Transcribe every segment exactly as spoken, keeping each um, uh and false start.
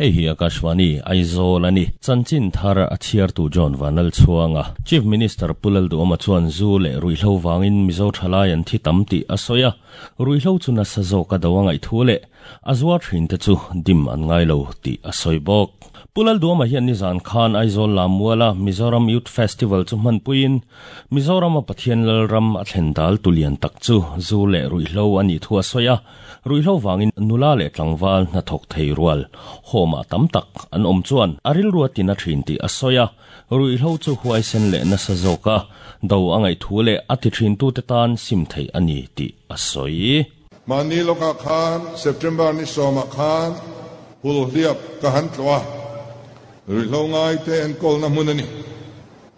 Hei hi Akashvani Aizawl ani chanchin thar a chhiar tu John Vanal chuanga Chief Minister Pulal Duama chuan zu le ruihhlo wangin Mizo thalai an thi tam ti a soya ruihhlo chuna sa zo ka dawanga i thu le azwa thin te chu dim an ngai lo ti a soi bok Pulal Duama hian ni zan khan Aizawl Lamuala Mizoram Youth Festival chu hman puin Mizoram a Pathian Lalram a thlen dal tulian tak chu zu le ruihhlo ani thu a soya ruihhlo wangin nula le tlangwal na thok thei rual homa tam tak an om chuan aril ruatina thin ti a soya ruihhlo chu huai sen le na sa zoka do angai thu le ati thin tu te tan sim thei ani ti a soi mani loka khan September ni soma khan hul hliap ka han tloa ruihhlo ngai te en kol na munani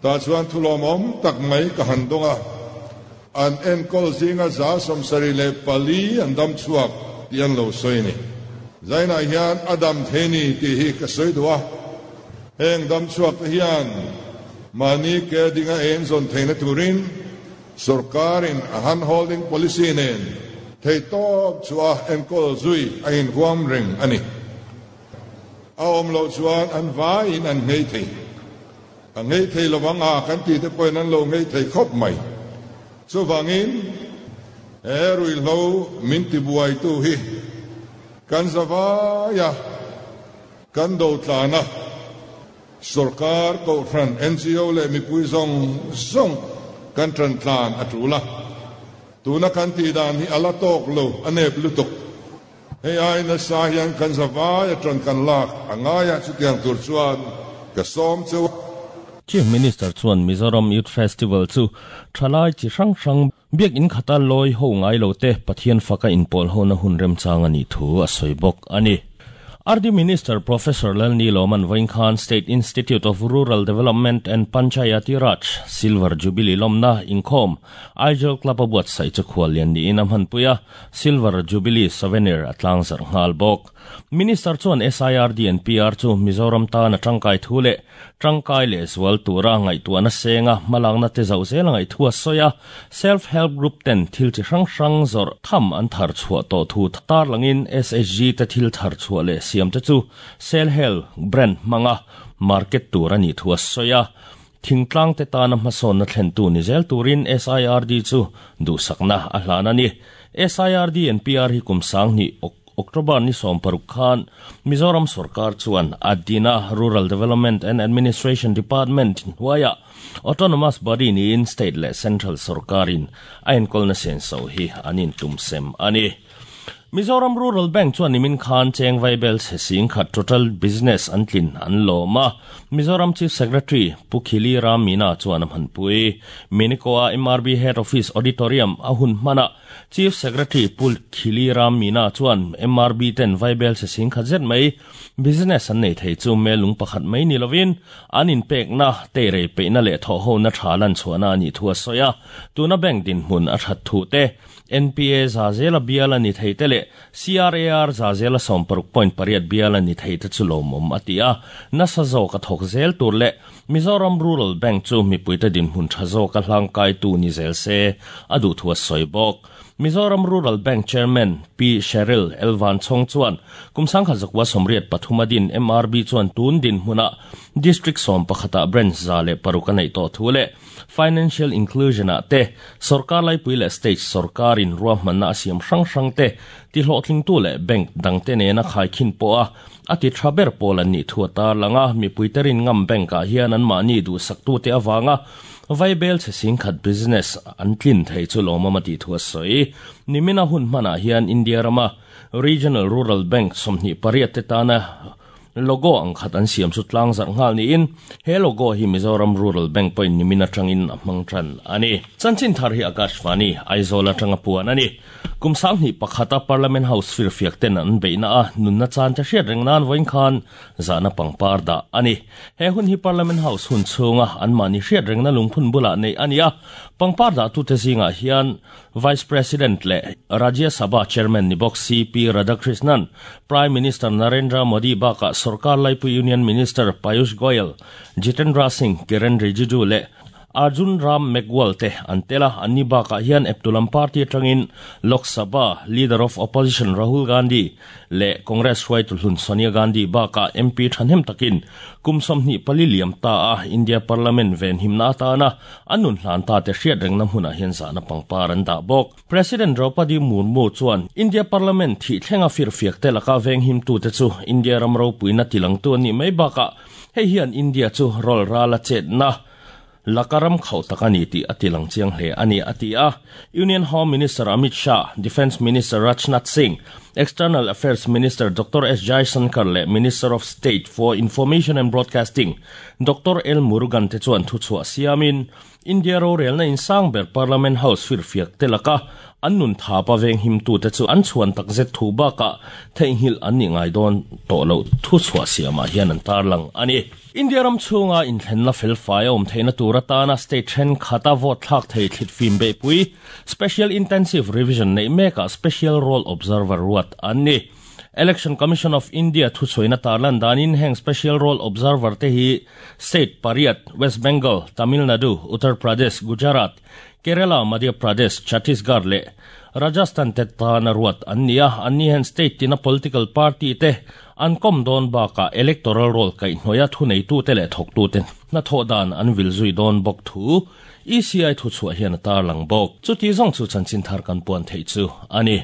ta chuan thulom om tak mai ka han donga an en kol zinga za somsari le pali an dam chuak tian lo soini zaina hian adam theni ti hi ka soi duwa heng dam chuak te hian mani ke dinga en zon theina turin sarkarin a hand holding policy nen thei top chua en kol zui a in huam ring ani a om lo chuan an vai in an ngei thei a ngei thei lawang a kan ti te point an lo ngei thei khop mai chu wangin he rui lo min ti buai tu hi kan zawaya kan do tlana sarkar ko ran N G O le mi pui zong zong kan tran tlan atula tuna kan ti dan hi ala tok lo anep lutuk hei ai na sa hian kan zawaya tran kan lak angaya chutiang tur chuan ka som chu Chief Minister chuan Mizoram Youth Festival chu thalai chi hrang hrang biak in khata loi ho ngai lo te Pathian faka in pol ho na hun rem chang ani thu a soi bok ani R D Minister Professor Lalni Loman Vaingkhan State Institute of Rural Development and Panchayati Raj Silver Jubilee Lomna Inkhom Aizawl Club abuat sai chu khwalian ni inam han puya Silver Jubilee Souvenir atlang zar ngal bok Minister chuan S I R D and P R chu Mizoram ta na tangkai thule tangkai le zwal tura ngai tuana senga malangna te zau zel ngai thua soya self help group ten thil chi hrang hrang zor tham an thar chua to thu tar langin S H G te thil thar chua le siam te chu sel hel brand manga market turani thua soya thingtlang te tana hmasawn na thlen tu ni zel turin S I R D chu du sakna a hlana ni S I R D and P R hi kum sang ni October ni som paruk khan Mizoram Sarkar chuan Adina Rural Development and Administration Department huaya autonomous body ni in state le central sarkarin ain kolna sen so hi anin tumsem ani Mizoram Rural Bank chuan nimin khan cheng vaibel se sing khat total business an tlin an loma Mizoram Chief Secretary Pukhili Ramina chuan han pui Minikoa M R B Head Office Auditorium ahun mana Chief Secretary Pukhili Ramina chuan M R B ten vaibel se sing khat zet mai business an nei thei chu melung pakhat mai ni lovin an in pek na te re pe na le tho ho na thalan chuana ani thua soya tuna bank din hmun a that thu te N P A zazela biala ni thei tele C R A R zazela som paruk point pariat biala ni thei te chu lomom atia na sa zo ka thok zel tur le Mizoram Rural Bank chu mi puita din hun tha zo ka hlang kai tu ni zel se adu thua soibok Mizoram Rural Bank Chairman P Cheryl Elvan Chong chuan kumsang kha zakwa somriat pathumadin M R B chuan tun din hmuna district som pakhata branch zale paruka nei to thule financial inclusion a te sarkar lai puile state sarkarin ruahmanna na siam hrang hrang te ti hlawhtling tu le bank dang te ne na khai khin po a ati thaber polan ni thuata langa mi puiterin ngam bank a hian an mani du saktu te awanga vaibel che sing khat business an tlin thei chu loma mati thua soi nimina hun mana hian India rama Regional Rural Bank somni pariat te tana logo ang khat an siam chu tlang zar ngal ni in he logo hi Mizoram Rural Bank point nimina tangin amang tran ani chanchin thar hi Akashvani Aizawl atanga puan ani kumsang ni pakhata Parliament House fir fiak ten an beina a nunna chan cha hriat rengnan voin khan zana pangpar da ani he hun hi Parliament House hun chunga an mani hriat rengna lungphun bula nei ania pangpar da tu te zinga hian Vice President le Rajya Sabha Chairman ni bok C P Radhakrishnan Prime Minister Narendra Modi baka Sarkar Laipu Union Minister Piyush Goyal Jitendra Singh Kiren Rijiju le Arjun Ram Meghwal te antela anni baka hian eptulam party atangin Lok Sabha leader of opposition Rahul Gandhi le Congress hruaitu hlun Sonia Gandhi baka M P thanem takin kumsom ni pali liam ta a India Parliament ven himna ta na anun hlan ta te hriat reng na huna hian za na pangpar an da bok. President Draupadi Murmu chuan India Parliament thi thlenga fir fiak te laka veng him tu te chu India ramro puina tilang tu ani mai baka hei hian India chu rol rala chet na lakaram khau takani ti atilang chiang hle ani ati a. Union Home Minister Amit Shah, Defense Minister Rajnath Singh, External Affairs Minister Doctor S Jaishankar le Minister of State for Information and Broadcasting Doctor L Murugan te chuan thu chua siamin India ro rel na in sangber Parliament House fir fiak te laka annun tha pa veng him tu te chu an chuan tak zet thu ba ka theinghil an ni ngai don to lo thu chua siama hian an tarlang ani. India ram chunga in thlen na fel fai om theina tura ta na state then khata vote thlak thei thlit fim be pui special intensive revision nei meka special roll observer ruat anni. Election Commission of India thu choina tarlan danin heng special roll observer te hi state pariat West Bengal, Tamil Nadu, Uttar Pradesh, Gujarat, Kerala, Madhya Pradesh, Chhattisgarh le Rajasthan te ta na ruat annia. Anni hen state tina political party te an kom don baka electoral roll kai noya thu nei tu te le thok tu te na tho dan an vil zui don bok thu E C I thu chua hian tar lang bok. Chu ti zong chu chanchin thar kan puan thei chu ani.